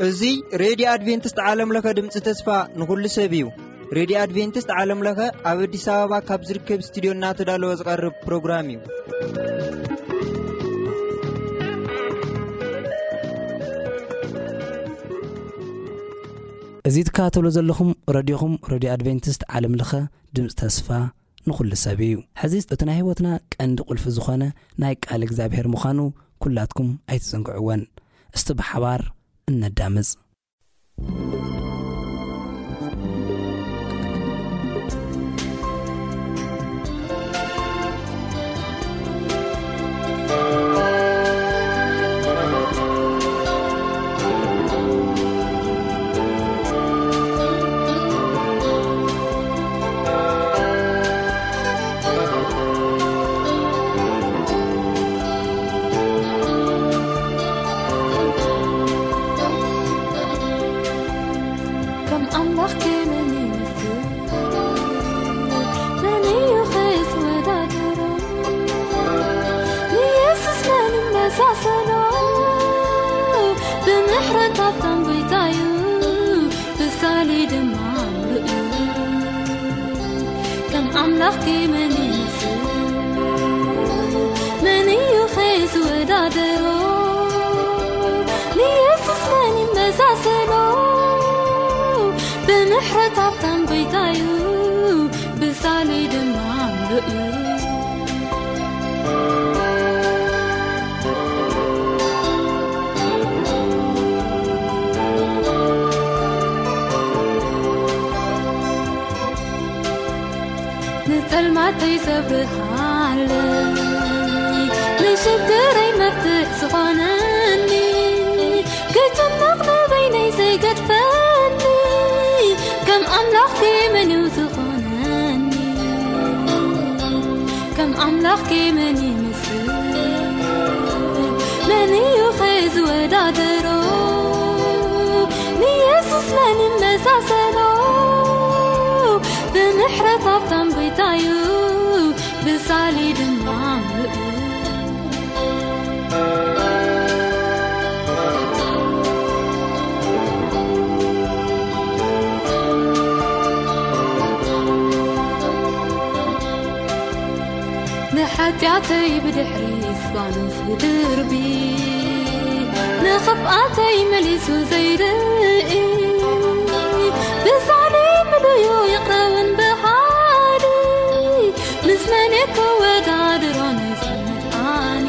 እዚ ሬድዮ ኣድቬንቲስት ዓለም ለኸ ድምፂ ተስፋ ንኹሉ ሰብ እዩ። ሬድዮ ኣድቬንቲስት ዓለም ለኸ ኣብ ኣዲስ ኣበባ ካብ ዝርከብ ስቱድዮ እናተዳለወ ዝቐርብ ፕሮግራም እዩ። እዚ ትከታተሉ ዘለኹም ረድዮኹም ሬድዮ ኣድቬንቲስት ዓለም ለኸ ድምፂ ተስፋ ንኹሉ ሰብ እዩ። ሕዚ እቲ ናይ ህይወትና ቀንዲ ቁልፊ ዝኾነ ናይ ቃል እግዚኣብሔር ምዃኑ ኩላትኩም ኣይትዘንግዕወን። እስቲ ብሓባር እነዳምፅ። ከም ኣምላኽ ከመን ይመስል? መን እዩ ኸይስ ወዳደሮ? ንየሱስ መን ይመሳሰሎ? ብምሕረት ሃብታም ጎይታ እዩ፣ ብሳሊ ድማ ምሉእ እዩ። ከም ኣምላኽ ከመን ይመስል? መን እዩ ኸይስ ወዳደሮ? ንየሱስ መን ይመሳሰሎ? ብምሕረት ሃብታም ጎይታ እዩ፣ ብሳሊ ድማ ምሉእ እዩ። ንጸልማተይ ዘብርሃለይ፣ ንሽግረይ መፍትሕ ዝኾነኒ፣ ክጭነቕ ንበይነይ ዘይገድፈኒ፣ ከም ኣምላኽ ከመን እዩ ዝኾነኒ? ከም ኣምላኽ ከመን ይመስል? መን እዩ ኸ ዝወዳደሮ? ንየሱስ መን ይመሳሰሎ? ብምሕረት ሃብታም ጎይታ እዩ፣ ብሳሊ ድማ ምሉእ። ንሓጢኣተይ ብድሕሪ ዝባኑ ዝድርቢ፣ ንኽፍኣተይ መሊሱ ዘይርኢ፣ ብሳሊ ምሉዩ ይቕረውን ብሓዲ፣ ምስ መን ክወዳድሮ ነዚ መድሓኒ?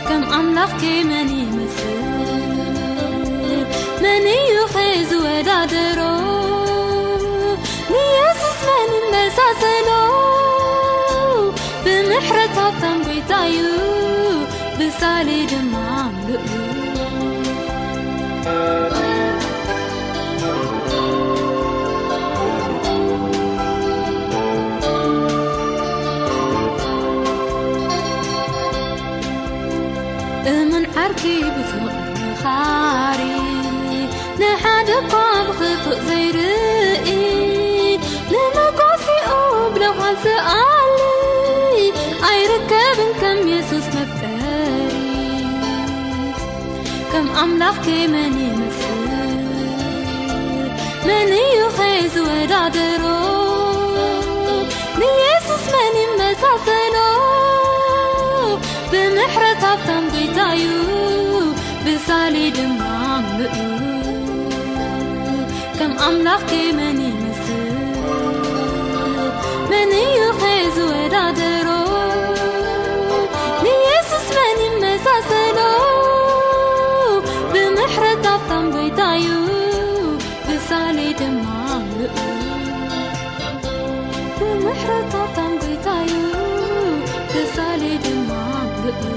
ከም ኣምላኽ ከመን ይመስል? መን እዩ ኸ ዝወዳደሮ? ንየሱስ መን ይመሳሰሎ? ብምሕረት ሃብታም ጎይታ እዩ፣ ብሳሊ ድማ ምሉእ እዩ። እሙን ዓርኪ ብፍቕሪ መኻሪ፣ ንሓደ እኳ ብኽፉእ ዘይርኢ፣ ንመጓሲኡ ብለውሃት ዝኣሊ፣ ኣይርከብን ከም የሱስ መፍቀሪ። ከም ኣምላኽ ከመን ይመስል? መን እዩ ኸ ዝወዳደሮ? ንየሱስ መን ይመሳሰሎ? ብምሕረት ሃብታም ጎይታ እዩ፣ ብሳሊ ድማ ምሉእ እዩ። ከም ኣምላኽ ከመን ይመስል? መን እዩ ኸ ዝወዳደሮ? ንየሱስ መን ይመሳሰሎ? ብምሕረት ሃብታም ጎይታ እዩ፣ ብሳሊ ድማ ምሉእ። ብምሕረት ሃብታም ጎይታ እዩ፣ ብሳሊ ድማ ምሉእ።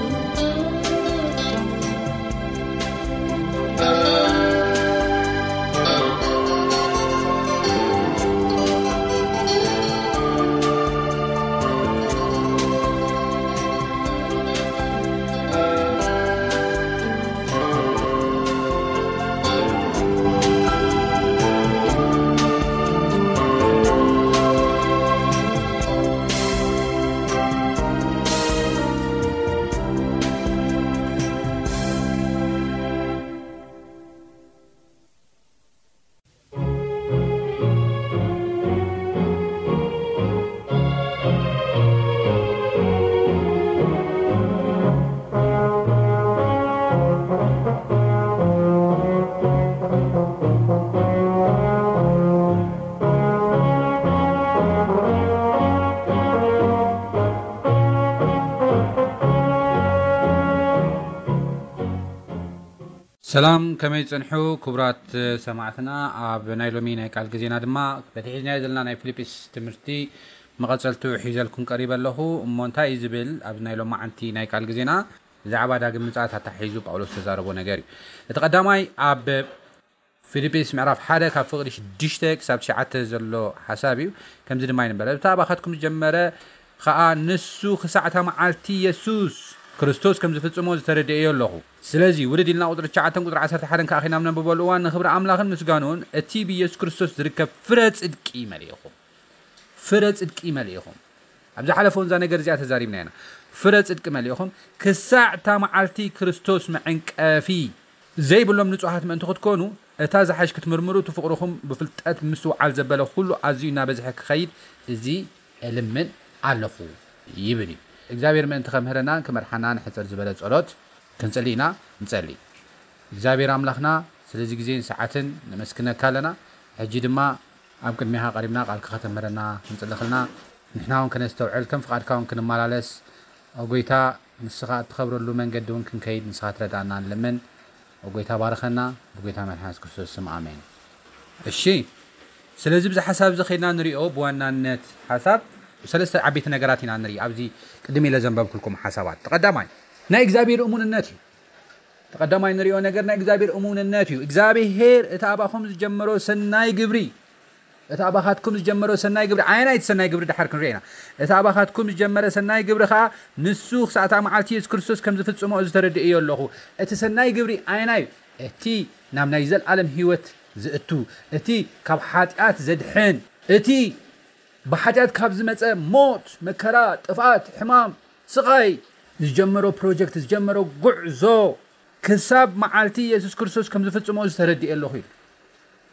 ሰላም፣ ከመይ ጸንሑ ክቡራት ሰማዕትና? ኣብ ናይ ሎሚ ናይ ቃል ግዜና ድማ በቲ ሒዝናዮ ዘለና ናይ ፊልጵስ ትምህርቲ መቐጸልቱ ሒዘልኩም ቀሪበ ኣለኹ። እሞ እንታይ እዩ ዝብል? ኣብ ናይ ሎማዓንቲ ናይ ቃል ግዜና ብዛዕባ ዳግም ምጽኣት ኣታሒዙ ጳውሎስ ተዛረቦ ነገር እዩ። እቲ ቀዳማይ ኣብ ፊልጵስ ምዕራፍ ሓደ ካብ ፍቕዲ ሽዱሽተ ክሳብ ትሽዓተ ዘሎ ሓሳብ እዩ። ከምዚ ድማ ይንበረ፣ "እታ ኣባኻትኩም ዝጀመረ ኸኣ ንሱ ክሳዕ እታ መዓልቲ የሱስ ክርስቶስ ከም ዝፍጽሞ ዝተረድኤዮ ኣለኹ። ስለዚ ውርድ ኢልና ቁጽሪ ትሽዓተን ቁጽሪ ዓሰርተ ሓደን ከኣ ኺና ነንብበሉ እዋን ንኽብሪ ኣምላኽን ምስጋንኡን እቲ ብየሱስ ክርስቶስ ዝርከብ ፍረ ጽድቂ መሊእኹም፣ ፍረ ጽድቂ መሊእኹም." ኣብ ዝሓለፈ እውን እዛ ነገር እዚኣ ተዛሪብና ኢና። ፍረ ጽድቂ መሊእኹም ክሳዕ እታ መዓልቲ ክርስቶስ መዐንቀፊ ዘይብሎም ንጹሃት ምእንቲ ክትኮኑ፣ እታ ዝሓሽ ክትምርምሩ፣ እቲ ፍቕርኹም ብፍልጠት ምስትውዓል ዘበለ ኩሉ ኣዝዩ እናበዝሐ ክኸይድ እዚ እልምን ኣለኹ ይብል እዩ። እግዚኣብሔር ምእንቲ ከምህረናን ክመርሓናን ሕጽር ዝበለ ጸሎት ክንጽሊ ኢና። ንጸሊ። እግዚኣብሔር ኣምላኽና ስለዚ ግዜን ሰዓትን ነመስግነካ ኣለና። ሕጂ ድማ ኣብ ቅድሚኻ ቀሪብና ቃልካ ከተምህረና ክንጽሊ ከለና ንሕና እውን ከነስተውዕል ከም ፍቓድካ እውን ክንመላለስ፣ ኦ ጎይታ፣ ንስኻ እትኸብረሉ መንገዲ እውን ክንከይድ ንስኻ ትረዳእና ንልምን። ኦ ጎይታ ባርኸና፣ ብጎይታ መድሓን የሱስ ክርስቶስ ስም ኣሜን። እሺ፣ ስለዚ ብዚ ሓሳብ እዚ ከይድና ንሪኦ ብዋናነት ሓሳብ ሰለስተ ዓበይቲ ነገራት ኢና ንርኢ ኣብዚ ቅድም ኢለ ዘንበብኩልኩም ሓሳባት። እቲ ቀዳማይ ናይ እግዚኣብሔር እሙንነት እዩ። እቲ ቀዳማይ ንሪኦ ነገር ናይ እግዚኣብሔር እሙንነት እዩ። እግዚኣብሔር እቲ ኣባኹም ዝጀመሮ ሰናይ ግብሪ፣ እቲ ኣባኻትኩም ዝጀመሮ ሰናይ ግብሪ፣ ኣየናይ እቲ ሰናይ ግብሪ ድሓር ክንሪኦ ኢና። እቲ ኣባኻትኩም ዝጀመረ ሰናይ ግብሪ ኸኣ ንሱ ክሳዕ እታ መዓልቲ የሱስ ክርስቶስ ከም ዝፍጽሞ እዚ ተረድእዮ ኣለኹ። እቲ ሰናይ ግብሪ ኣየናይ እዩ? እቲ ናብ ናይ ዘለኣለም ህይወት ዝእቱ፣ እቲ ካብ ሓጢኣት ዘድሕን፣ እቲ ብሓጢኣት ካብ ዝመጸ ሞት፣ መከራ፣ ጥፍኣት፣ ሕማም፣ ስቓይ ዝጀመሮ ፕሮጀክት፣ ዝጀመሮ ጉዕዞ ክሳብ መዓልቲ የሱስ ክርስቶስ ከም ዝፍጽሞ እዚ ተረድኤ ኣለኹ ኢሉ።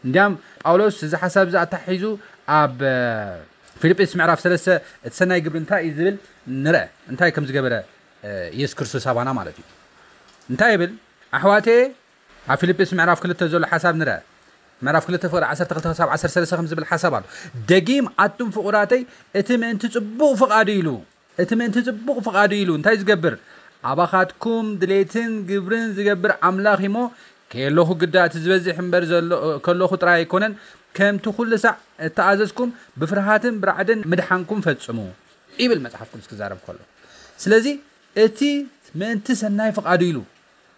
እንዲያም ጳውሎስ እዚ ሓሳብ እዚ ኣታሒዙ ኣብ፣ እ፣ ፊልጵስ ምዕራፍ ሰለስተ እቲ ሰናይ ግብሪ እንታይ እዩ ዝብል ንርአ። እንታይ ከም ዝገበረ፣ እ፣ የሱስ ክርስቶስ ኣባና ማለት እዩ። እንታይ ይብል? ኣሕዋተየ፣ ኣብ ፊልጵስ ምዕራፍ ክልተ ዘሎ ሓሳብ ንርአ። ምዕራፍ ክልተ ፍቕዲ ዓሰርተ ክልተ ክሳብ ዓሰርተ ሰለስተ ከም ዝብል ሓሳብ ኣሎ። ደጊም ኣቱም ፍቑራተይ፣ እቲ ምእንቲ ጽቡቕ ፍቓዱ ኢሉ፣ እቲ ምእንቲ ጽቡቕ ፍቓዱ ኢሉ እንታይ ዝገብር? ኣባኻትኩም ድሌትን ግብርን ዝገብር ኣምላኽ እሞ፣ ከየለኹ ግዳ እቲ ዝበዝሕ እምበር ዘሎ፣ ከለኹ ጥራይ ኣይኮነን፣ ከምቲ ኩሉ ሳዕ እተኣዘዝኩም ብፍርሃትን ብራዕድን ምድሓንኩም ፈጽሙ ይብል መጽሓፍ ቅዱስ ክዛረብ ከሎ። ስለዚ እቲ ምእንቲ ሰናይ ፍቓዱ ኢሉ፣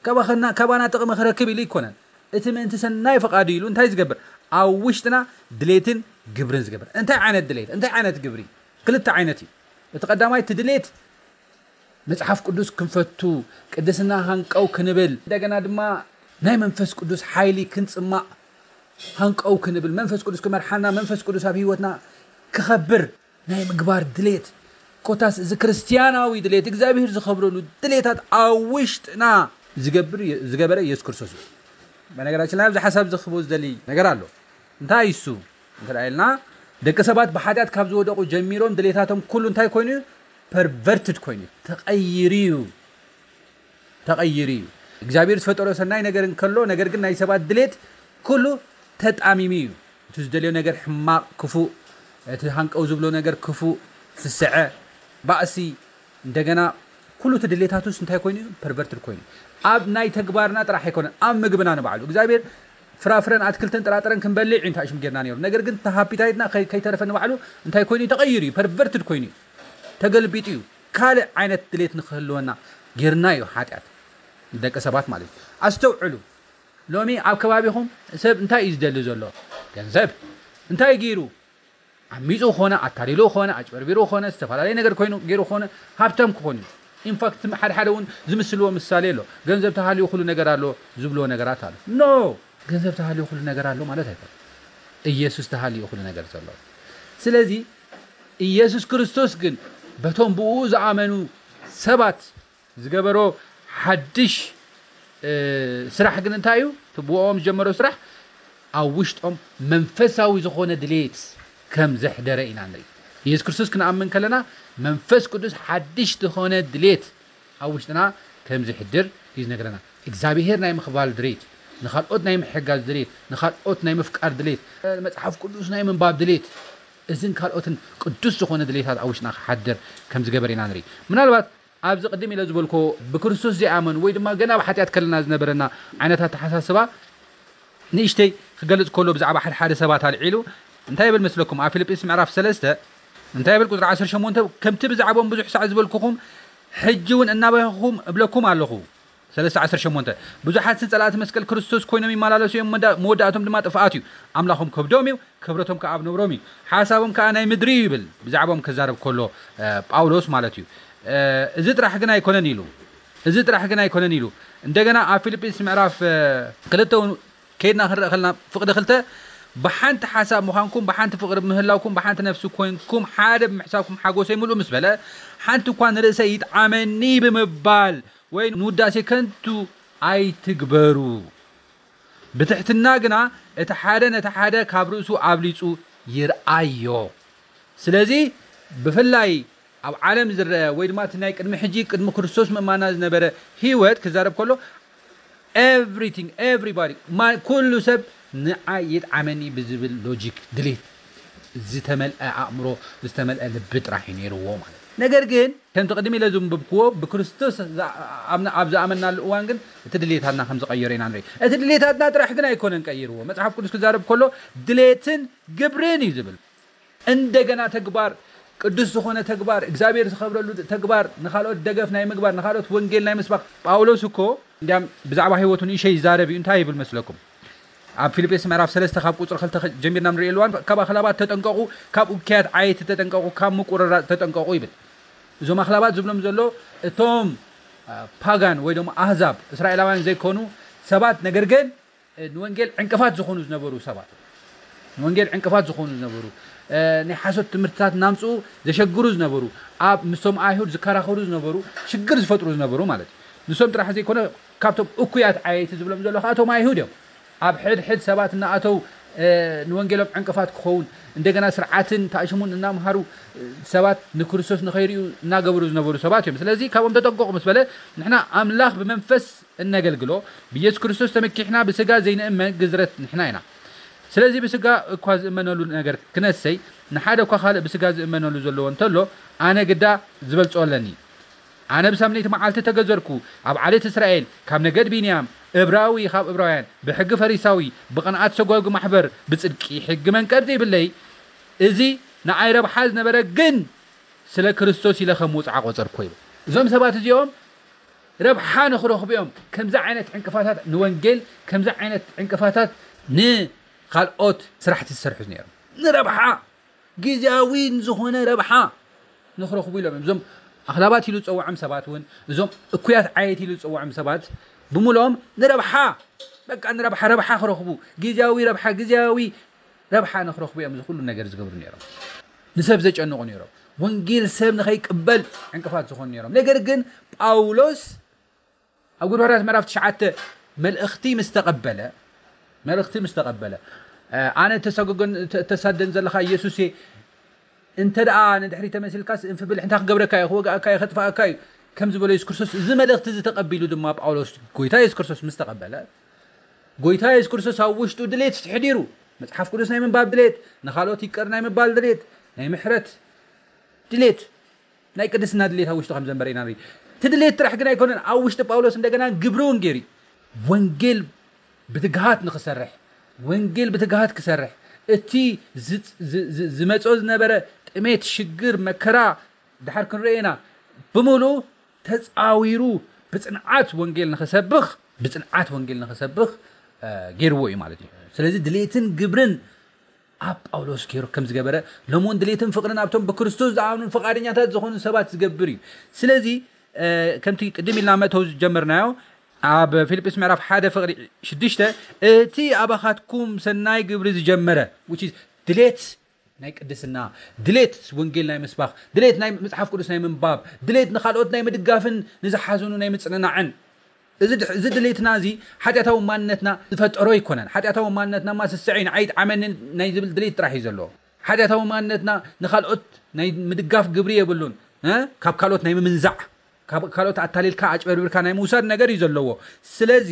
ካባኸና-፣ ካባና ጥቕሚ ክረክብ ኢሉ ኣይኮነን። እቲ ምእንቲ ሰናይ ፍቓዱ ኢሉ እንታይ ዝገብር? ኣብ ውሽጥና ድሌትን ግብርን ዝገብር። እንታይ ዓይነት ድሌት? እንታይ ዓይነት ግብሪ? ክልተ ዓይነት እዩ። እቲ ቀዳማይ እቲ ድሌት መጽሓፍ ቅዱስ ክንፈቱ፣ ቅድስና ሃንቀው ክንብል፣ እንደገና ድማ ናይ መንፈስ ቅዱስ ሓይሊ ክንጽማእ ሃንቀው ክንብል፣ መንፈስ ቅዱስ ክመርሓና፣ መንፈስ ቅዱስ ኣብ ህይወትና ክኸብር ናይ ምግባር ድሌት፣ ኮታስ እዚ ክርስትያናዊ ድሌት፣ እግዚኣብሔር ዝኸብረሉ ድሌታት ኣብ ውሽጥና ዝገብር፣ ዝገበረ ኢየሱስ ክርስቶስ እዩ። በነገራችን ላይ ኣብዚ ሓሳብ ዝኽቦ ዝደሊ ነገር ኣሎ። እንታይ እሱ? እንተ ደኣ ኢልና፣ ደቂ ሰባት ብሓጢኣት ካብ ዝወደቑ ጀሚሮም ድሌታቶም ኩሉ እንታይ ኮይኑ እዩ? ፐርቨርትድ ኮይኑ እዩ። ተቐይሩ እዩ። ተቐይሩ እዩ። እግዚኣብሔር ዝፈጠሮ ሰናይ ነገር እንከሎ፣ ነገር ግን ናይ ሰባት ድሌት ኩሉ ተጣሚሙ እዩ። እቲ ዝደልዮ ነገር ሕማቕ፣ ክፉእ፣ እቲ ሃንቀው ዝብሎ ነገር ክፉእ፣ ስስዐ፣ ባእሲ፣ እንደገና ኩሉ እቲ ድሌታቱስ እንታይ ኮይኑ እዩ? ፐርቨርትድ ኮይኑ። ኣብ ናይ ተግባርና ጥራሕ ኣይኮነን፣ ኣብ ምግብና ንባዕሉ። እግዚኣብሔር ፍራፍረን ኣትክልትን ጥራጥረን ክንበልዕ እዩ እንታይ ሽም ጌርና ነይሩ። ነገር ግን እቲ ሃፒታይትና ከይ-፣ ከይተረፈ ንባዕሉ እንታይ ኮይኑ እዩ? ተቐይሩ እዩ፣ ፐርቨርትድ ኮይኑ እዩ፣ ተገልቢጡ እዩ። ካልእ ዓይነት ድሌት ንክህልወና ጌርና እዩ ሓጢኣት፣ ደቂ ሰባት ማለት እዩ። ኣስተውዕሉ። ሎሚ ኣብ ከባቢኹም ሰብ እንታይ እዩ ዝደሊ ዘሎ? ገንዘብ። እንታይ ገይሩ? ዓሚጹ ኾነ፣ ኣታሊሉ ኾነ፣ ኣጭበርቢሩ ኾነ፣ ዝተፈላለየ ነገር ኮይኑ ገይሩ ኾነ፣ ሃብታም ክኾን እዩ። ኢንፋክት፣ ሓደ ሓደ እውን ዝምስልዎ ምሳሌ ኣሎ። ገንዘብ ተሃልዩ ኩሉ ነገር ኣሎ ዝብልዎ ነገራት ኣሎ። ኖ! ገንዘብ ተሃልዩ ኩሉ ነገር ኣሎ ማለት ኣይኮነን። ኢየሱስ ተሃልዩ ኩሉ ነገር ዘሎ። ስለዚ ኢየሱስ ክርስቶስ ግን በቶም ብኡ ዝኣመኑ ሰባት ዝገበሮ ሓድሽ፣ እ፣ ስራሕ ግን እንታይ እዩ? እቲ ብኦም ዝጀመሮ ስራሕ ኣብ ውሽጦም መንፈሳዊ ዝኾነ ድሌት ከም ዘሕደረ ኢና ንርኢ። ኢየሱስ ክርስቶስ ክንኣምን ከለና መንፈስ ቅዱስ ሓድሽ ዝኾነ ድሌት ኣብ ውሽጥና ከም ዝሕድር እዩ ዝነግረና። እግዚኣብሔር ናይ ምኽባል ድሌት፣ ንኻልኦት ናይ ምሕጋዝ ድሌት፣ ንኻልኦት ናይ ምፍቃር ድሌት፣ መጽሓፍ ቅዱስ ናይ ምንባብ ድሌት፣ እዝን ካልኦትን ቅዱስ ዝኾነ ድሌታት ኣብ ውሽጥና ክሓድር ከም ዝገበር ኢና ንርኢ። ምናልባት ኣብዚ ቅድም ኢለ ዝበልኮ ብክርስቶስ ዘይኣመኑ ወይ ድማ ገና ኣብ ሓጢኣት ከለና ዝነበረና ዓይነት ኣተሓሳስባ ንእሽተይ ክገልጽ ከሎ ብዛዕባ ሓደ ሓደ ሰባት ኣልዒሉ እንታይ ይብል መስለኩም? ኣብ ፊልጵስ ምዕራፍ ሰለስተ እንታይ ይብል? ቁጽሪ ዓሰርተ ሸሞንተ፣ ከምቲ ብዛዕባኦም ብዙሕ ሳዕ ዝበልኩኹም ሕጂ እውን እናበኸኹም እብለኩም ኣለኹ። ሰለስተ ዓሰርተ ሸሞንተ፣ ብዙሓት ጸላእቲ መስቀል ክርስቶስ ኮይኖም ይመላለሱ እዮም፣ መወዳእቶም ድማ ጥፍኣት እዩ። ኣምላኾም ከብዶም እዩ፣ ክብረቶም ከኣ ኣብ ነብሮም እዩ፣ ሓሳቦም ከኣ ናይ ምድሪ እዩ ይብል። ብዛዕባኦም ክዛረብ ከሎ ጳውሎስ ማለት እዩ። እዚ ጥራሕ ግን ኣይኮነን ኢሉ፣ እዚ ጥራሕ ግን ኣይኮነን ኢሉ። እንደገና ኣብ ፊልጲስ ምዕራፍ ክልተ እውን ከይድና ክንርኢ ከለና ፍቕዲ ክልተ፣ ብሓንቲ ሓሳብ ምዃንኩም ብሓንቲ ፍቕሪ ምህላውኩም ብሓንቲ ነፍሲ ኮይንኩም ሓደ ብምሕሳብኩም ሓጎሰይ ምሉእ ምስ በለ፣ ሓንቲ እኳ ንርእሰይ ይጥዓመኒ ብምባል ወይ ንውዳሴ ከንቱ ኣይትግበሩ። ብትሕትና ግና እቲ ሓደ ነቲ ሓደ ካብ ርእሱ ኣብሊጹ ይርኣዮ። ስለዚ ብፍላይ ኣብ ዓለም ዝረአ ወይ ድማ እቲ ናይ ቅድሚ ሕጂ ቅድሚ ክርስቶስ ምእማና ዝነበረ ህይወት ክዛረብ ከሎ everything everybody ኩሉ ሰብ ንዓይ ይጥዓመኒ ብዝብል ሎጂክ ድሌት ዝተመልአ ኣእምሮ ዝተመልአ ልቢ ጥራሕ እዩ ነይርዎ ማለት እዩ። ነገር ግን ከምቲ ቅድሚ ኢለ ዝንብብክዎ ብክርስቶስ ኣብ ዝኣመናሉ እዋን ግን እቲ ድሌታትና ከም ዝቐየረ ኢና ንርኢ። እቲ ድሌታትና ጥራሕ ግን ኣይኮነን ቀይርዎ። መፅሓፍ ቅዱስ ክዛረብ ከሎ ድሌትን ግብርን እዩ ዝብል። እንደገና ተግባር ቅዱስ ዝኾነ ተግባር እግዚኣብሔር ዝኸብረሉ ተግባር ንኻልኦት ደገፍ ናይ ምግባር ንኻልኦት ወንጌል ናይ ምስባክ ጳውሎስ እኮ እንዲያም ብዛዕባ ህይወቱ ንእሸ ይዛረብ እዩ። እንታይ ይብል መስለኩም? ኣብ ፊልጴስ ምዕራፍ ሰለስተ ካብ ቁፅሪ ክልተ ጀሚርና ንሪኦ ኣለዋን ካብ ኣኽላባት ተጠንቀቑ፣ ካብ እኩያት ዓየይቲ ተጠንቀቑ፣ ካብ ምቁርራፅ ተጠንቀቑ ይብል። እዞም ኣኽላባት ዝብሎም ዘሎ እቶም ፓጋን ወይ ድማ ኣህዛብ እስራኤላውያን ዘይኮኑ ሰባት ነገር ግን ንወንጌል ዕንቅፋት ዝኾኑ ዝነበሩ ሰባት ንወንጌል ዕንቅፋት ዝኾኑ ዝነበሩ ናይ ሓሶት ትምህርትታት እናምፅኡ ዘሸግሩ ዝነበሩ ኣብ ምስቶም ኣይሁድ ዝከራኸሩ ዝነበሩ ሽግር ዝፈጥሩ ዝነበሩ ማለት እዩ። ንሶም ጥራሕ ዘይኮነ ካብቶም እኩያት ዓየይቲ ዝብሎም ዘሎ ከኣቶም ኣይሁድ እዮም። ኣብ ሕድሕድ ሰባት እናኣተው ንወንጌሎም ዕንቅፋት ክኸውን እንደገና ስርዓትን ታእሽሙን እናምሃሩ ሰባት ንክርስቶስ ንኸይርዩ እናገበሩ ዝነበሩ ሰባት እዮም። ስለዚ ካብኦም ተጠንቀቑ ምስ በለ ንሕና ኣምላኽ ብመንፈስ እነገልግሎ ብኢየሱስ ክርስቶስ ተመኪሕና ብስጋ ዘይንእመን ግዝረት ንሕና ኢና። ስለዚ ብስጋ እኳ ዝእመነሉ ነገር ክነሰይ ንሓደ እኳ ካልእ ብስጋ ዝእመነሉ ዘለዎ እንተሎ ኣነ ግዳ ዝበልጾ ኣለኒ። ኣነ ብሳምነይቲ መዓልቲ ተገዘርኩ፣ ኣብ ዓሌት እስራኤል፣ ካብ ነገድ ቢንያም፣ እብራዊ ካብ እብራውያን፣ ብሕጊ ፈሪሳዊ፣ ብቕንኣት ሰጓጉ ማሕበር፣ ብጽድቂ ሕጊ መንቀድ ዘይብለይ፣ እዚ ንኣይ ረብሓ ዝነበረ ግን ስለ ክርስቶስ ኢለ ከም ውጽዓ ቆጸርኮ ይብል። እዞም ሰባት እዚኦም ረብሓ ንኽረኽቡ እዮም ከምዚ ዓይነት ዕንቅፋታት ንወንጌል ከምዚ ዓይነት ዕንቅፋታት ንካልኦት ስራሕቲ ዝሰርሑ ነይሮም። ንረብሓ ግዜያዊ ዝኾነ ረብሓ ንኽረኽቡ ኢሎም እዮም። እዞም ኣኽላባት ኢሉ ዝፀውዖም ሰባት እውን እዞም እኩያት ዓየት ኢሉ ዝፀውዖም ሰባት ብምሎም ንረብሓ በቃ ንረብሓ ረብሓ ክረኽቡ ግዜያዊ ረብሓ ግዜያዊ ረብሓ ንኽረኽቡ እዮም እዚ ኩሉ ነገር ዝገብሩ ነይሮም። ንሰብ ዘጨንቑ ነይሮም። ወንጌል ሰብ ንኸይቅበል ዕንቅፋት ዝኾኑ ነይሮም። ነገር ግን ጳውሎስ ኣብ ጉድባራት ምዕራፍ ትሽዓተ መልእኽቲ ምስ ተቐበለ መልእኽቲ ምስ ተቐበለ ኣነ ተሳደን ዘለኻ ኢየሱስ እንተ ደኣ ንድሕሪ ተመሲልካስ እንፍብል እንታይ ክገብረካ እዩ ክወግኣካ እዩ ከጥፋኣካ እዩ ከም ዝበሎ የሱስ ክርስቶስ እዚ መልእኽቲ እዚ ተቐቢሉ ድማ ጳውሎስ ጎይታ የሱስ ክርስቶስ ምስ ተቐበለ ጎይታ የሱስ ክርስቶስ ኣብ ውሽጡ ድሌት ተሕዲሩ መጽሓፍ ቅዱስ ናይ ምንባብ ድሌት ንኻልኦት ይቅር ናይ ምባል ድሌት ናይ ምሕረት ድሌት ናይ ቅድስና ድሌት ኣብ ውሽጡ ከም ዘንበረ ኢና ንርኢ። እቲ ድሌት ጥራሕ ግን ኣይኮነን ኣብ ውሽጢ ጳውሎስ እንደገና ግብሪ እውን ገይሩ ወንጌል ብትግሃት ንክሰርሕ ወንጌል ብትግሃት ክሰርሕ እቲ ዝመጾ ዝነበረ ጥሜት ሽግር መከራ ድሓር ክንርኢ ኢና ብምሉ ተጻዊሩ ብጽንዓት ወንጌል ንክሰብኽ ብጽንዓት ወንጌል ንክሰብኽ ገይርዎ እዩ ማለት እዩ። ስለዚ ድሌትን ግብርን ኣብ ጳውሎስ ገይሩ ከም ዝገበረ ሎሚ እውን ድሌትን ፍቕርን ኣብቶም ብክርስቶስ ዝኣምኑን ፍቓደኛታት ዝኾኑ ሰባት ዝገብር እዩ። ስለዚ ከምቲ ቅድም ኢልና መእተው ዝጀመርናዮ ኣብ ፊልጵስ ምዕራፍ ሓደ ፍቕሪ ሽዱሽተ እቲ ኣባኻትኩም ሰናይ ግብሪ ዝጀመረ ድሌት ናይ ቅድስና ድሌት ወንጌል ናይ ምስባኽ ድሌት ናይ መፅሓፍ ቅዱስ ናይ ምንባብ ድሌት ንካልኦት ናይ ምድጋፍን ንዝሓዘኑ ናይ ምፅንናዕን እዚ ድሌትና እዚ ሓጢኣታዊ ማንነትና ዝፈጠሮ ኣይኮነን። ሓጢኣታዊ ማንነትና ማ ስስዐይ ንዓይ ይጥዓመኒ ናይ ዝብል ድሌት ጥራሕ እዩ ዘለዎ። ሓጢኣታዊ ማንነትና ንካልኦት ናይ ምድጋፍ ግብሪ የብሉን። ካብ ካልኦት ናይ ምምንዛዕ ካብ ካልኦት ኣታሊልካ ኣጭበርብርካ ናይ ምውሳድ ነገር እዩ ዘለዎ። ስለዚ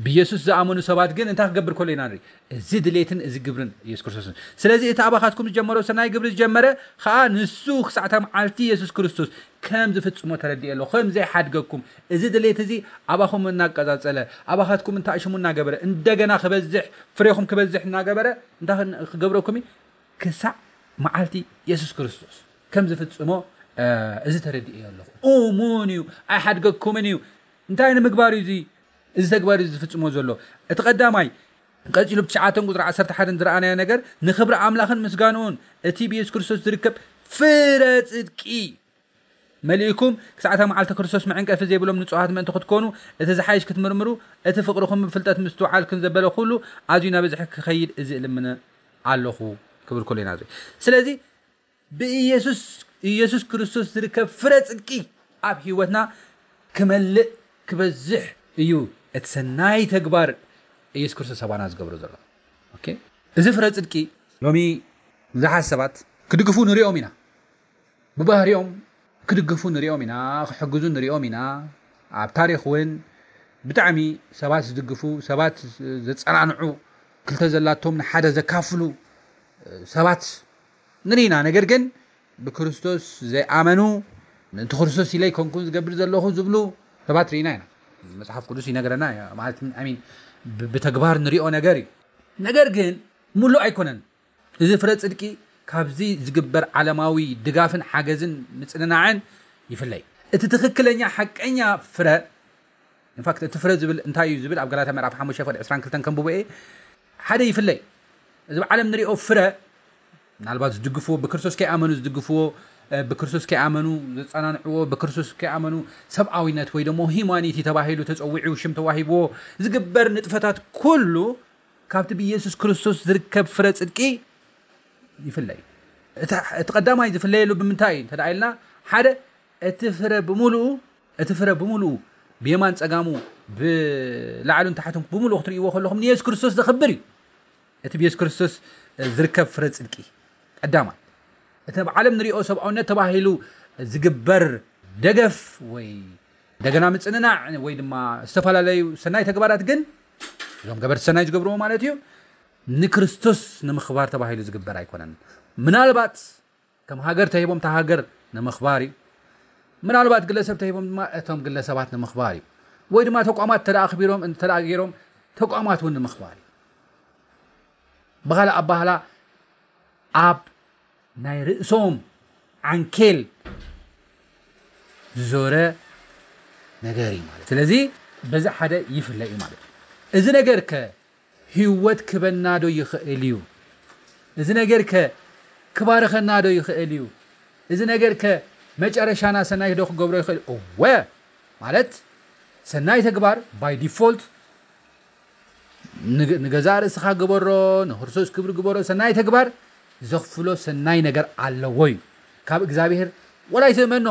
ብኢየሱስ ዝኣመኑ ሰባት ግን እንታይ ክገብር ከሎ ኢና ንርኢ? እዚ ድሌትን እዚ ግብርን ኢየሱስ ክርስቶስን። ስለዚ እቲ ኣባኻትኩም ዝጀመሮ ሰናይ ግብሪ ዝጀመረ ኸኣ ንሱ ክሳዕታ መዓልቲ ኢየሱስ ክርስቶስ ከም ዝፍጽሞ ተረድኤ ኣሎ፣ ከም ዘይሓድገኩም። እዚ ድሌት እዚ ኣባኹም እናቀጻጸለ፣ ኣባኻትኩም እንታይ ሽሙ እናገበረ፣ እንደገና ክበዝሕ፣ ፍሬኹም ክበዝሕ እናገበረ እንታይ ክገብረኩም እዩ? ክሳዕ መዓልቲ ኢየሱስ ክርስቶስ ከም ዝፍጽሞ እዚ ተረድኤ ኣለኹ። እሙን እዩ፣ ኣይሓድገኩምን እዩ። እንታይ ንምግባር እዩ እዚ እዚ ተግባር እዚ ዝፍጽሞ ዘሎ? እቲ ቀዳማይ ቀጺሉ ብትሽዓተን ቁጽሪ ዓሰርተ ሓደን ዝረኣናዮ ነገር ንኽብሪ ኣምላኽን ምስጋንኡን እቲ ብየሱስ ክርስቶስ ዝርከብ ፍረ ጽድቂ መሊእኩም ክሳዕታ መዓልቲ ክርስቶስ መዕንቀፊ ዘይብሎም ንጹሃት ምእንቲ ክትኮኑ እቲ ዝሓይሽ ክትምርምሩ እቲ ፍቕርኹም ብፍልጠት ምስትውዓል ክንዘበለ ኩሉ ኣዝዩ ናበዝሐ ክኸይድ እዚ እልምነ ኣለኹ ክብል ከሎ ኢና ንርኢ። ስለዚ ብኢየሱስ ኢየሱስ ክርስቶስ ዝርከብ ፍረ ጽድቂ ኣብ ህይወትና ክመልእ ክበዝሕ እዩ። እቲ ሰናይ ተግባር ኢየሱስ ክርስቶስ ኣባና ዝገብሮ ዘሎ። ኦኬ፣ እዚ ፍረ ጽድቂ ሎሚ ብዙሓት ሰባት ክድግፉ ንሪኦም ኢና። ብባህሪኦም ክድግፉ ንሪኦም ኢና፣ ክሕግዙ ንሪኦም ኢና። ኣብ ታሪኽ እውን ብጣዕሚ ሰባት ዝድግፉ፣ ሰባት ዘጸናንዑ፣ ክልተ ዘላቶም ንሓደ ዘካፍሉ ሰባት ንሪኢና። ነገር ግን ብክርስቶስ ዘይኣመኑ፣ ምእንቲ ክርስቶስ ኢለ ኣይኮንኩን ዝገብር ዘለኹ ዝብሉ ሰባት ርኢና ኢና። መጽሓፍ ቅዱስ ይነግረና እዩ። ማለት፣ I mean፣ ብ-፣ ብተግባር ንሪኦ ነገር እዩ። ነገር ግን ምሉእ ኣይኮነን። እዚ ፍረ ጽድቂ ካብዚ ዝግበር ዓለማዊ ድጋፍን ሓገዝን ምጽንናዕን ይፍለይ። እቲ ትኽክለኛ ሓቀኛ ፍረ፣ ኢንፋክት፣ እቲ ፍረ ዝብል እንታይ እዩ ዝብል ኣብ ገላትያ ምዕራፍ ሓሙሽተ ፍቕዲ ዕስራን ክልተን ከንብቦ እየ። ሓደ ይፍለይ። እዚ ብዓለም ንሪኦ ፍረ፣ ምናልባት ዝድግፍዎ፣ ብክርስቶስ ከይኣመኑ ዝድግፍዎ፣ እ፣ ብክርስቶስ ከይኣመኑ ዘጸናንዕዎ፣ ብክርስቶስ ከይኣመኑ ሰብኣዊነት ወይ ደሞ ሂዩማኒቲ ተባሂሉ ተጸዊዑ ሽም ተዋሂብዎ ዝግበር ንጥፈታት ኩሉ ካብቲ ብኢየሱስ ክርስቶስ ዝርከብ ፍረ ጽድቂ ይፍለይ። እቲ፣ እቲ ቀዳማይ ዝፍለየሉ ብምንታይ እዩ እንተ ደኣ ኢልና፣ ሓደ፣ እቲ ፍረ ብምሉኡ፣ እቲ ፍረ ብምሉኡ ብየማን ጸጋሙ ብላዕሉን ታሕቱን ብምሉኡ ክትርእይዎ ከለኹም ንየሱስ ክርስቶስ ዘኽብር እዩ። እቲ ብየሱስ ክርስቶስ ዝርከብ ፍረ ጽድቂ ቀዳማይ። እቲ ኣብ ዓለም ንሪኦ ሰብኣውነት ተባሂሉ ዝግበር ደገፍ ወይ እንደገና ምጽንናዕ ወይ ድማ ዝተፈላለዩ ሰናይ ተግባራት ግን እዞም ገበርቲ ሰናይ ዝገብርዎ ማለት እዩ፣ ንክርስቶስ ንምኽባር ተባሂሉ ዝግበር ኣይኮነን። ምናልባት ከም ሃገር ተሂቦም እታ ሃገር ንምኽባር እዩ። ምናልባት ግለሰብ ተሂቦም ድማ እቶም ግለሰባት ንምኽባር እዩ። ወይ ድማ ተቋማት እንተ ደኣ ኣኽቢሮም፣ እንተ ደኣ ገይሮም ተቋማት እውን ንምኽባር እዩ። ብኻልእ ኣባህላ ኣብ ናይ ርእሶም ዓንኬል ዝዞረ ነገር እዩ ማለት። ስለዚ በዚ ሓደ ይፍለ እዩ ማለት እዩ። እዚ ነገር ከ ህይወት ክበና ዶ ይኽእል እዩ? እዚ ነገር ከ ክባርኸና ዶ ይኽእል እዩ? እዚ ነገር ከ መጨረሻና ሰናይ ዶ ክገብሮ ይኽእል? እወ፣ ማለት ሰናይ ተግባር by default ንገ-፣ ንገዛእ ርእስኻ ግበሮ፣ ንክርስቶስ ክብሪ ግበሮ። ሰናይ ተግባር ዘኽፍሎ ሰናይ ነገር ኣለዎ እዩ። ካብ እግዚኣብሔር ወላ ኣይትእመኖ፣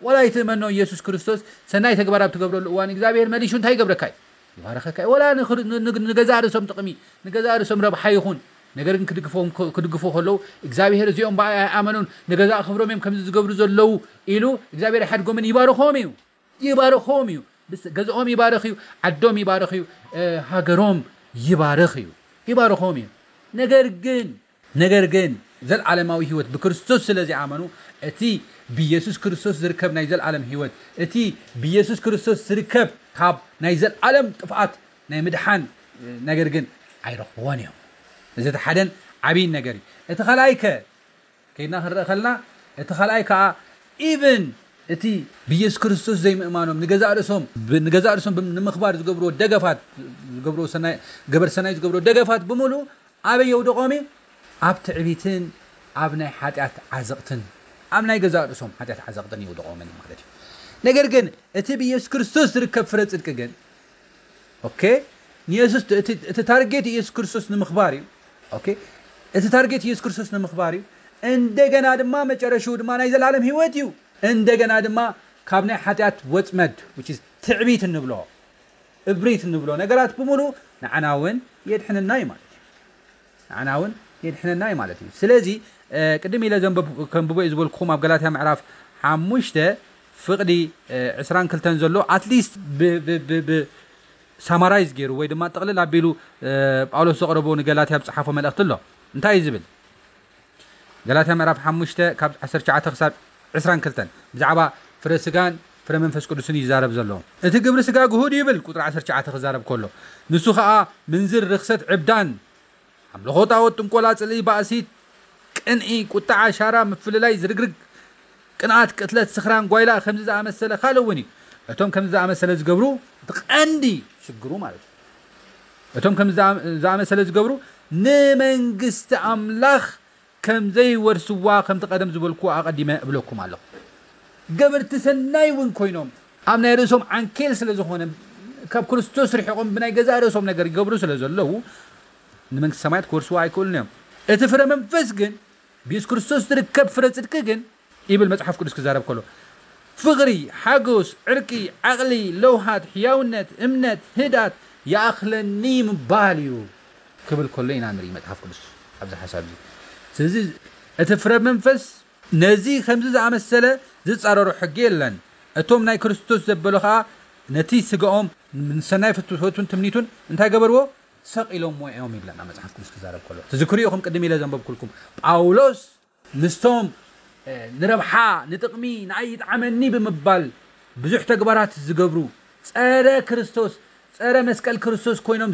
ወላ ኣይትእመኖ። ኢየሱስ ክርስቶስ ሰናይ ተግባር ኣብ ትገብረሉ እዋን እግዚኣብሔር መሊሹ እንታይ ይገብረካ እዩ? ይባረኸካ እዩ። ወላ ንኽር-፣ ን-፣ ን-፣ ንገዛእ ርእሶም ጥቕሚ፣ ንገዛእ ርእሶም ረብሓ ይኹን፣ ነገር ግን ክድግፎም፣ ክድግፎ ከለዉ እግዚኣብሔር እዚኦም ብኣይ ኣይኣመኑን፣ ንገዛእ ክብሮም እዮም ከምዚ ዝገብሩ ዘለዉ ኢሉ እግዚኣብሔር ኣይሓድጎምን፣ ይባርኾም እዩ። ይባርኾም እዩ። ብስ-፣ ገዝኦም ይባርኽ እዩ፣ ዓዶም ይባርኽ እዩ፣ እ፣ ሃገሮም ይባርኽ እዩ። ይባርኾም እዩ። ነገር ግን፣ ነገር ግን ዘልዓለማዊ ህይወት ብክርስቶስ ስለ ዝኣመኑ፣ እቲ ብኢየሱስ ክርስቶስ ዝርከብ ናይ ዘልዓለም ህይወት፣ እቲ ብኢየሱስ ክርስቶስ ዝርከብ ካብ ናይ ዘልዓለም ጥፍኣት ናይ ምድሓን፣ እ፣ ነገር ግን ኣይረኽብዎን እዮም። እዚ እቲ ሓደን ዓብይን ነገር እዩ። እቲ ካልኣይ ከ ከይድና ክንርኢ ከለና፣ እቲ ካልኣይ ከኣ ኢቭን እቲ ብኢየሱስ ክርስቶስ ዘይምእማኖም ንገዛእ ርእሶም፣ ብ-፣ ንገዛእ ርእሶም ብም-፣ ንምኽባር ዝገብርዎ ደገፋት፣ ዝገብርዎ ሰናይ፣ ገበር ሰናይ ዝገብርዎ ደገፋት ብምሉእ ኣበይ የውድቖም እዩ? ኣብ ትዕቢትን ኣብ ናይ ሓጢኣት ዓዘቕትን፣ ኣብ ናይ ገዛእ ርእሶም ሓጢኣት ዓዘቕትን የውድቖምን እዩ ማለት እዩ። ነገር ግን እቲ ብኢየሱስ ክርስቶስ ዝርከብ ፍረ ጽድቂ ግን፣ ኦኬ፣ ንየሱስ፣ እቲ፣ እቲ ታርጌት ኢየሱስ ክርስቶስ ንምኽባር እዩ። ኦኬ፣ እቲ ታርጌት ኢየሱስ ክርስቶስ ንምኽባር እዩ። እንደገና ድማ መጨረሽኡ ድማ ናይ ዘላለም ህይወት እዩ። እንደገና ድማ ካብ ናይ ሓጢኣት ወጽመድ፣ which is ትዕቢት እንብሎ፣ እብሪት እንብሎ ነገራት ብምሉእ ንዓና እውን የድሕነና እዩ ማለት እዩ። ንዓና እውን የድሕነና እዩ ማለት እዩ። ስለዚ፣ እ፣ ቅድም ኢለ ዘንበብ-፣ ከንብቦ እዩ ዝበልኩኹም ኣብ ገላትያ ምዕራፍ ሓሙሽተ ፍቕዲ፣ እ፣ ዕስራን ክልተን ዘሎ፣ ኣትሊስት ብ-፣ ብ-፣ ብ-፣ ብ-፣ ሳማራይዝ ገይሩ ወይ ድማ ጥቕልል ኣቢሉ ጳውሎስ ዘቕረቦ ንገላትያ ዝፀሓፎ መልእኽቲ ኣሎ። እንታይ እዩ ዝብል? ገላትያ ምዕራፍ ሓሙሽተ ካብ ዓሰርተ ትሽዓተ ክሳብ ዕስራን ክልተን ብዛዕባ ፍረ ስጋን ፍረ መንፈስ ቅዱስን ይዛረብ ዘሎ። እቲ ግብሪ ስጋ ግሁድ ይብል፣ ቁፅሪ ዓሰርተ ትሽዓተ ክዛረብ ከሎ፣ ንሱ ከዓ ምንዝር፣ ርክሰት፣ ዕብዳን፣ ኣምልኾ ጣዖት፣ ጥንቆላ፣ ጽልኢ፣ ባእሲ፣ ቅንኢ፣ ቁጣዓ፣ ሻራ፣ ምፍልላይ፣ ዝርግርግ፣ ቅንኣት፣ ቅትለት፣ ስኽራን፣ ጓይላ፣ ከምዚ ዝኣመሰለ ካልእ እውን እዩ። እቶም ከምዚ ዝኣመሰለ ዝገብሩ እቲ ቀንዲ ሽግሩ ማለት እዩ። እቶም ከምዚ ዝኣመሰለ ዝገብሩ ንመንግስቲ ኣምላኽ ከም ዘይወርስዋ ከምቲ ቀደም ዝበልኩ ኣቐዲመ እብለኩም ኣለኹ። ገበርቲ ሰናይ እውን ኮይኖም ኣብ ናይ ርእሶም ዓንኬል ስለ ዝኾነ ካብ ክርስቶስ ርሒቖም ብናይ ገዛእ ርእሶም ነገር ይገብሩ ስለ ዘለዉ ንመንግስቲ ሰማያት ክወርስዋ ኣይክእሉን እዮም። እቲ ፍረ መንፈስ ግን ብየሱስ ክርስቶስ ዝርከብ ፍረ ጽድቂ ግን ይብል መጽሓፍ ቅዱስ ክዛረብ ከሎ ፍቕሪ፣ ሓጎስ፣ ዕርቂ፣ ዓቕሊ፣ ለውሃት፣ ሕያውነት፣ እምነት፣ ህዳት ይኣኽለኒ ምባል እዩ ክብል ከሎ ኢና ንርኢ መጽሓፍ ቅዱስ ኣብዚ ሓሳብ እዚ። ስለዚ እቲ ፍረ መንፈስ ነዚ ከምዚ ዝኣመሰለ ዝጻረሮ ሕጊ የለን። እቶም ናይ ክርስቶስ ዘበሉ ኸኣ ነቲ ስጋኦም ንሰናይ ፍትወቱን ትምኒቱን እንታይ ገበርዎ? ሰቒሎምዎ እዮም ይብለና መጽሓፍ ቅዱስ ክዛረብ ከሎ። ትዝክሩ ኢኹም ቅድም ኢለ ዘንበብኩልኩም ጳውሎስ ምስቶም ንረብሓ ንጥቕሚ ንኣይ ይጥዓመኒ ብምባል ብዙሕ ተግባራት ዝገብሩ ጸረ ክርስቶስ ጸረ መስቀል ክርስቶስ ኮይኖም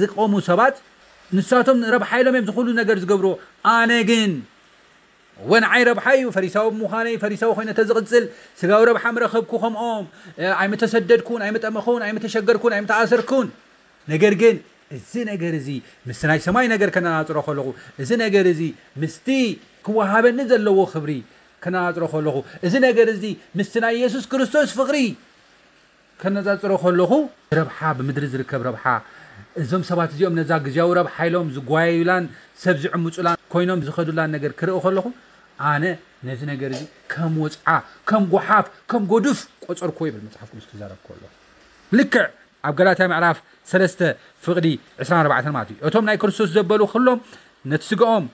ዝቆሙ ሰባት ንሳቶም ረብሓ ኢሎም እዮም ዝኩሉ ነገር ዝገብርዎ። ኣነ ግን እወ ንዓይ ረብሓ እዩ ፈሪሳዊ ብምዃነይ ፈሪሳዊ ኮይነ ተዝቕጽል ስጋዊ ረብሓ ምረኸብኩ ከምኦም ኣይምተሰደድኩን ኣይምጠመኹን ኣይምተሸገርኩን ኣይምተኣሰርኩን። ነገር ግን እዚ ነገር እዚ ምስ ናይ ሰማይ ነገር ከነናጽሮ ከለኹ እዚ ነገር እዚ ምስቲ ክወሃበኒ ዘለዎ ክብሪ ከነናጽሮ ከለኹ እዚ ነገር እዚ ምስቲ ናይ የሱስ ክርስቶስ ፍቕሪ ከነጻጽሮ ከለኹ ረብሓ ብምድሪ ዝርከብ ረብሓ እዞም ሰባት እዚኦም ነዛ ግዜያዊ ረብሓ ኢሎም ዝጓየዩላን ሰብ ዝዕምፁላን ኮይኖም ዝኸዱላን ነገር ክርኢ ከለኹ ኣነ ነዚ ነገር እዚ ከም ወፅዓ ከም ጓሓፍ ከም ጎዱፍ ቆፀርኩዎ ይብል መፅሓፍ ቅዱስ ክዛረብ ከሎ ልክዕ ኣብ ገላትያ ምዕራፍ ሰለስተ ፍቕዲ ዕስራን ኣርባዕተን ማለት እዩ እቶም ናይ ክርስቶስ ዘበሉ ኩሎም ነቲ ስጋኦም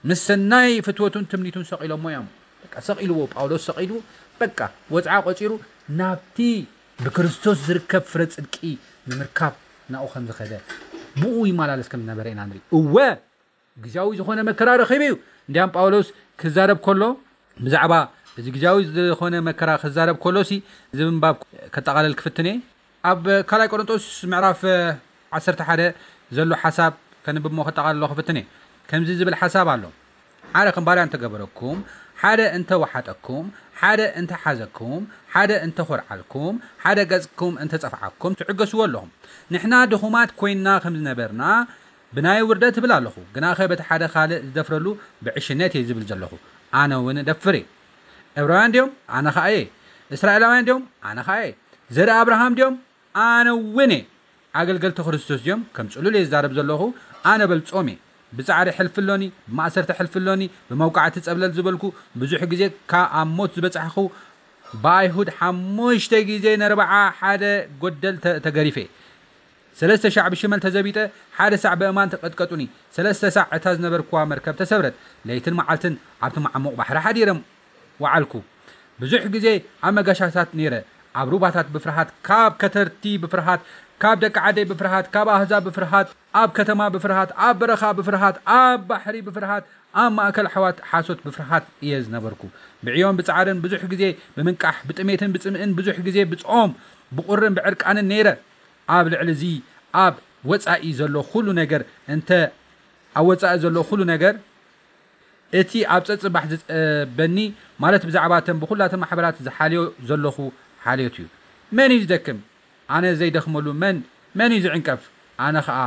ምስ ሰናይ ፍትወቱን ትምኒቱን ሰቒሎሞ እዮም። በቃ ሰቒልዎ፣ ጳውሎስ ሰቒሉ፣ በቃ ወጽዓ ቆጺሩ ናብቲ ብክርስቶስ ዝርከብ ፍረ ጽድቂ ንምርካብ ናብኡ ከም ዝኸደ ብኡ ይመላለስ ከም ዝነበረ ኢና ንርኢ። እወ ግዝያዊ ዝኾነ መከራ ረኺቡ እዩ። እንዲያም ጳውሎስ ክዛረብ ከሎ ብዛዕባ እዚ ግዝያዊ ዝኾነ መከራ ክዛረብ ከሎ ሲ እዚ ምንባብ ከጠቓለል ክፍትን እየ። ኣብ ካልኣይ ቆሮንጦስ ምዕራፍ ዓሰርተ ሓደ ዘሎ ሓሳብ ከንብብ እሞ ከጠቓልሎ ክፍትን እየ። ከምዚ ዝብል ሓሳብ ኣሎ። ሓደ ከም ባርያ እንተገበረኩም፣ ሓደ እንተወሓጠኩም፣ ሓደ እንተሓዘኩም፣ ሓደ እንተኾርዓልኩም፣ ሓደ ገጽኩም እንተጸፍዓኩም ትዕገስዎ ኣለኹም። ንሕና ድኹማት ኮይንና ከም ዝነበርና ብናይ ውርደት እብል ኣለኹ። ግናኸ በቲ ሓደ ካልእ ዝደፍረሉ ብዕሽነት እየ ዝብል ዘለኹ። ኣነ እውን እደፍር እየ። ዕብራውያን ድዮም? ኣነ ኸኣ እየ። እስራኤላውያን ድዮም? ኣነ ኸኣ እየ። ዘርኢ ኣብርሃም ድዮም? ኣነ እውን እየ። ኣገልገልቲ ክርስቶስ ድዮም? ከም ጽሉል እየ ዝዛረብ ዘለኹ፣ ኣነ በልጾም እየ። ብጻዕሪ ሕልፊ ኣሎኒ፣ ብማእሰርቲ ሕልፊ ኣሎኒ፣ ብመውቃዕቲ ጸብለል ዝበልኩ፣ ብዙሕ ግዜ ካብ ኣብ ሞት ዝበጻሕኹ፣ ብኣይሁድ ሓሙሽተ ግዜ ነርብዓ ሓደ ጎደል ተ- ተገሪፈ። ሰለስተ ሳዕ ብሽመል ተዘቢጠ፣ ሓደ ሳዕ ብእማን ተቐጥቀጡኒ። ሰለስተ ሳዕ እታ ዝነበርኩዋ መርከብ ተሰብረት። ለይትን መዓልትን ኣብቲ መዓሙቕ ባሕሪ ሓዲረ ወዓልኩ። ብዙሕ ግዜ ኣብ መጋሻታት ነይረ። ኣብ ሩባታት ብፍርሃት፣ ካብ ከተርቲ ብፍርሃት፣ ካብ ደቂ ዓደይ ብፍርሃት፣ ካብ ኣህዛብ ብፍርሃት፣ ኣብ ከተማ ብፍርሃት፣ ኣብ በረኻ ብፍርሃት፣ ኣብ ባሕሪ ብፍርሃት፣ ኣብ ማእከል ኣሕዋት ሓሶት ብፍርሃት እየ ዝነበርኩ። ብዕዮን ብጻዕርን ብዙሕ ግዜ ብምንቃሕ፣ ብጥሜትን ብጽምእን ብዙሕ ግዜ ብጾም፣ ብቑርን ብዕርቃንን ነይረ። ኣብ ልዕሊ እዚ ኣብ ወጻኢ ዘሎ ኩሉ ነገር እንተ ኣብ ወጻኢ ዘሎ ኩሉ ነገር እቲ ኣብ ጸጽባሕ ዝጸበኒ ማለት ብዛዕባ እተን ብኹላተን ማሕበራት ዝሓልዮ ዘለኹ ሓልዮት እዩ። መን እዩ ዝደክም? ኣነ ዘይደኽመሉ መን መን እዩ ዝዕንቀፍ? ኣነ ኸኣ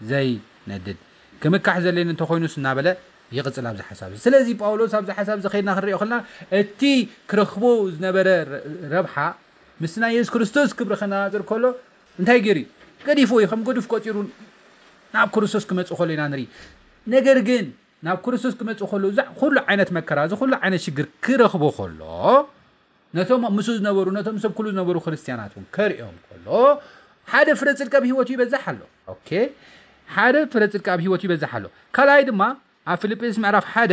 ዘይነድድ። ክምካሕ ዘድልየኒ እንተኾይኑስ እናበለ ይቕጽል ኣብዚ ሓሳብ እዚ። ስለዚ ጳውሎስ ኣብዚ ሓሳብ እዚ ከይድና ክንሪኦ ከለና እቲ ክረኽቦ ዝነበረ ረብሓ ምስ ናይ የሱስ ክርስቶስ ክብሪ ከነጻጽር ከሎ እንታይ ገይሩ እዩ? ገዲፍዎ እዩ። ከም ገዱፍ ቆጺሩ ናብ ክርስቶስ ክመጽእ ከሎ ኢና ንርኢ። ነገር ግን ናብ ክርስቶስ ክመጽእ ከሎ እዚ ኩሉ ዓይነት መከራ እዚ ኩሉ ዓይነት ሽግር ክረኽቦ ከሎ ነቶም ምስኡ ዝነበሩ ነቶም ሰብ ኩሉ ዝነበሩ ክርስትያናት እውን ከርእዮም ከሎ ሓደ ፍረ ጽድቂ ኣብ ህይወቱ ይበዝሕ ኣሎ። ኦኬ ሓደ ፍረ ጽድቂ ኣብ ህይወቱ ይበዝሕ ኣሎ። ካልኣይ ድማ ኣብ ፊልጵስ ምዕራፍ ሓደ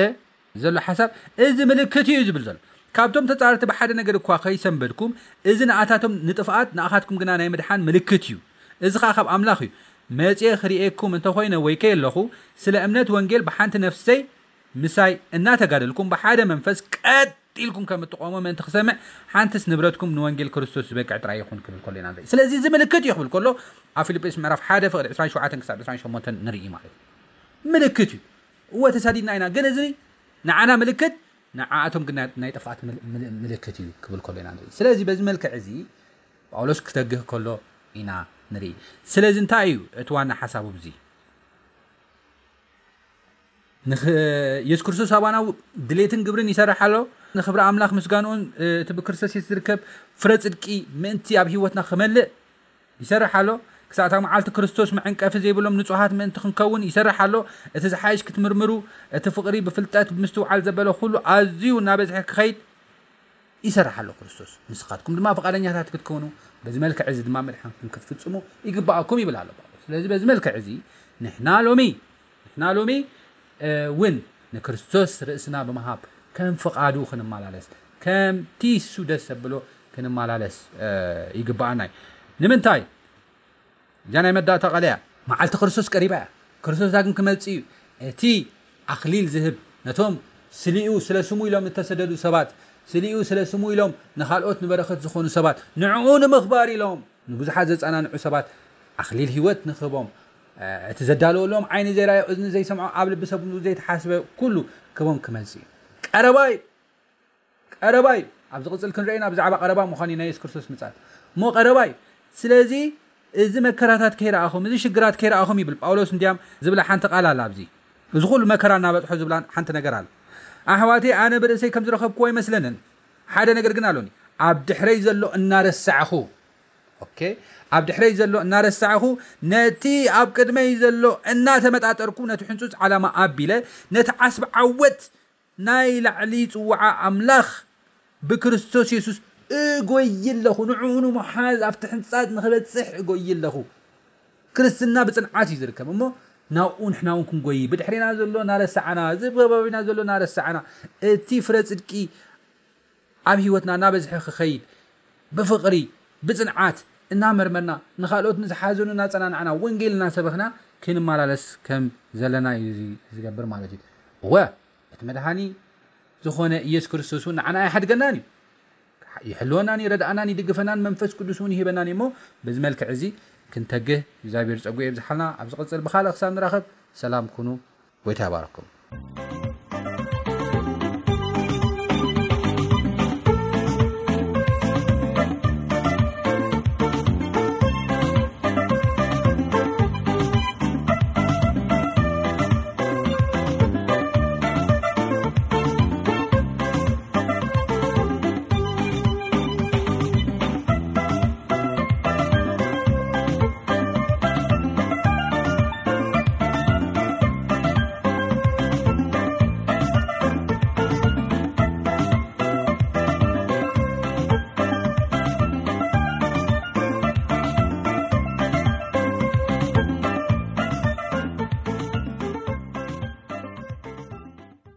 ዘሎ ሓሳብ እዚ ምልክት እዩ ዝብል ዘሎ ካብቶም ተጻረርቲ ብሓደ ነገር እኳ ከይሰንበድኩም፣ እዚ ንኣታቶም ንጥፍኣት ንኣኻትኩም ግና ናይ ምድሓን ምልክት እዩ። እዚ ኸኣ ካብ ኣምላኽ እዩ። መጺኤ ክርእየኩም እንተኾይነ ወይ ከየለኹ፣ ስለ እምነት ወንጌል ብሓንቲ ነፍሰይ ምሳይ እናተጋደልኩም ብሓደ መንፈስ ቀጥ ኢልኩም ከም እትቆሙ ምእንቲ ክሰምዕ፣ ሓንትስ ንብረትኩም ንወንጌል ክርስቶስ ዝበቅዕ ጥራይ ይኹን ክብል ከሎ ኢና ንርኢ። ስለዚ እዚ ምልክት እዩ ክብል ከሎ ኣብ ፊልጵስ ምዕራፍ ሓደ ፍቕዲ ዕስራን ሸውዓተን ክሳብ ዕስራን ሸሞንተን ንርኢ ማለት እዩ። ምልክት እዩ። እወ ተሳዲድና ኢና፣ ግን እዚ ንዓና ምልክት፣ ንዓኣቶም ግን ናይ- ናይ ጥፍኣት ምል- ምል- ምልክት እዩ ክብል ከሎ ኢና ንርኢ። ስለዚ በዚ መልክዕ እዚ ጳውሎስ ክተግህ ከሎ ኢና ንርኢ። ስለዚ እንታይ እዩ እቲ ዋና ሓሳቡ? እዚ ንኽ- የሱስ ክርስቶስ ኣባና ድሌትን ግብርን ይሰርሕ ኣሎ። ንኽብሪ ኣምላኽ ምስጋንኡን እቲ ብክርስቶስ የሱስ ዝርከብ ፍረ ጽድቂ ምእንቲ ኣብ ህይወትና ክመልእ ይሰርሕ ኣሎ። ክሳዕ እታ መዓልቲ ክርስቶስ መዐንቀፊ ዘይብሎም ንጹሃት ምእንቲ ክንከውን ይሰርሕ ኣሎ። እቲ ዝሓይሽ ክትምርምሩ፣ እቲ ፍቕሪ ብፍልጠት ብምስትውዓል ዘበለ ኩሉ ኣዝዩ እናበዝሐ ክኸይድ ይሰርሕ ኣሎ ክርስቶስ። ንስኻትኩም ድማ ፍቓደኛታት ክትከውኑ፣ በዚ መልክዕ እዚ ድማ ምድሓንኩም ክትፍጽሙ ይግባኣኩም ይብል ኣሎ ጳውሎስ። ስለዚ በዚ መልክዕ እዚ ንሕና ሎሚ ንሕና ሎሚ እውን ንክርስቶስ ርእስና ብምሃብ ከም ፍቓዱ ክንመላለስ፣ ከምቲ እሱ ደስ ዘብሎ ክንመላለስ ይግባኣና እዩ። ንምንታይ? እዛ ናይ መዳእታ ቃል እያ። መዓልቲ ክርስቶስ ቀሪባ እያ። ክርስቶስ ዳግም ክመጽእ እዩ። እቲ ኣኽሊል ዝህብ ነቶም ስሊኡ ስለ ስሙ ኢሎም እተሰደዱ ሰባት፣ ስሊኡ ስለ ስሙ ኢሎም ንኻልኦት ንበረኸት ዝኾኑ ሰባት፣ ንዕኡ ንምኽባር ኢሎም ንብዙሓት ዘጸናንዑ ሰባት ኣኽሊል ህይወት ንኽህቦም፣ እቲ ዘዳለወሎም ዓይኒ ዘይራዮ እዝኒ ዘይሰምዖ ኣብ ልቢ ሰብ ዘይተሓስበ ኩሉ ክቦም ክመጽእ እዩ። ቀረባ እዩ። ቀረባ እዩ። ኣብ ዝቕጽል ክንርእይና ብዛዕባ ቀረባ ምዃን እዩ ናይ የሱስ ክርስቶስ ምጻት። እሞ ቀረባ እዩ። ስለዚ እዚ መከራታት ከይረኣኹም፣ እዚ ሽግራት ከይረኣኹም ይብል ጳውሎስ። እንዲያም ዝብላ ሓንቲ ቃል ኣላ ኣብዚ። እዚ ኩሉ መከራ እናበጽሖ ዝብላ ሓንቲ ነገር ኣላ። ኣሕዋተይ፣ ኣነ ብርእሰይ ከም ዝረኸብክዎ ኣይመስለንን። ሓደ ነገር ግን ኣሎኒ። ኣብ ድሕረይ ዘሎ እናረሳዕኹ፣ ኦኬ፣ ኣብ ድሕረይ ዘሎ እናረሳዕኹ፣ ነቲ ኣብ ቅድመይ ዘሎ እናተመጣጠርኩ፣ ነቲ ሕንጹጽ ዓላማ ኣቢለ፣ ነቲ ዓስቢ ዓወት ናይ ላዕሊ ጽዋዓ ኣምላኽ ብክርስቶስ የሱስ እጎይ ኣለኹ። ንዕኡ ንምሓዝ ኣብቲ ሕንጻጽ ንኽበጽሕ እጎይ ኣለኹ። ክርስትና ብጽንዓት እዩ ዝርከብ እሞ ናብኡ ንሕና እውን ክንጎይ፣ ብድሕሬና ዘሎ እናረሳዕና፣ እዚ ከባቢና ዘሎ እናረሳዕና፣ እቲ ፍረ ጽድቂ ኣብ ህይወትና እናበዝሐ ክኸይድ ብፍቕሪ ብጽንዓት እናመርመርና ንኻልኦት ንዝሓዘኑ እናጸናናዕና ወንጌል እናሰበኽና ክንመላለስ ከም ዘለና እዩ እዚ ዝገብር ማለት እዩ። እወ እቲ መድሃኒ ዝኾነ ኢየሱስ ክርስቶስ እውን ንዓና ኣይሓድገናን እዩ። ይሕልወናን ይረድኣናን ይድግፈናን መንፈስ ቅዱስ እውን ይህበናን እዩ። እሞ በዚ መልክዕ እዚ ክንተግህ እግዚኣብሔር ጸጉ የብዝሓልና። ኣብ ዝቕጽል ብኻልእ ክሳብ ንራኸብ ሰላም ኩኑ። ጎይታ ይባርኩም።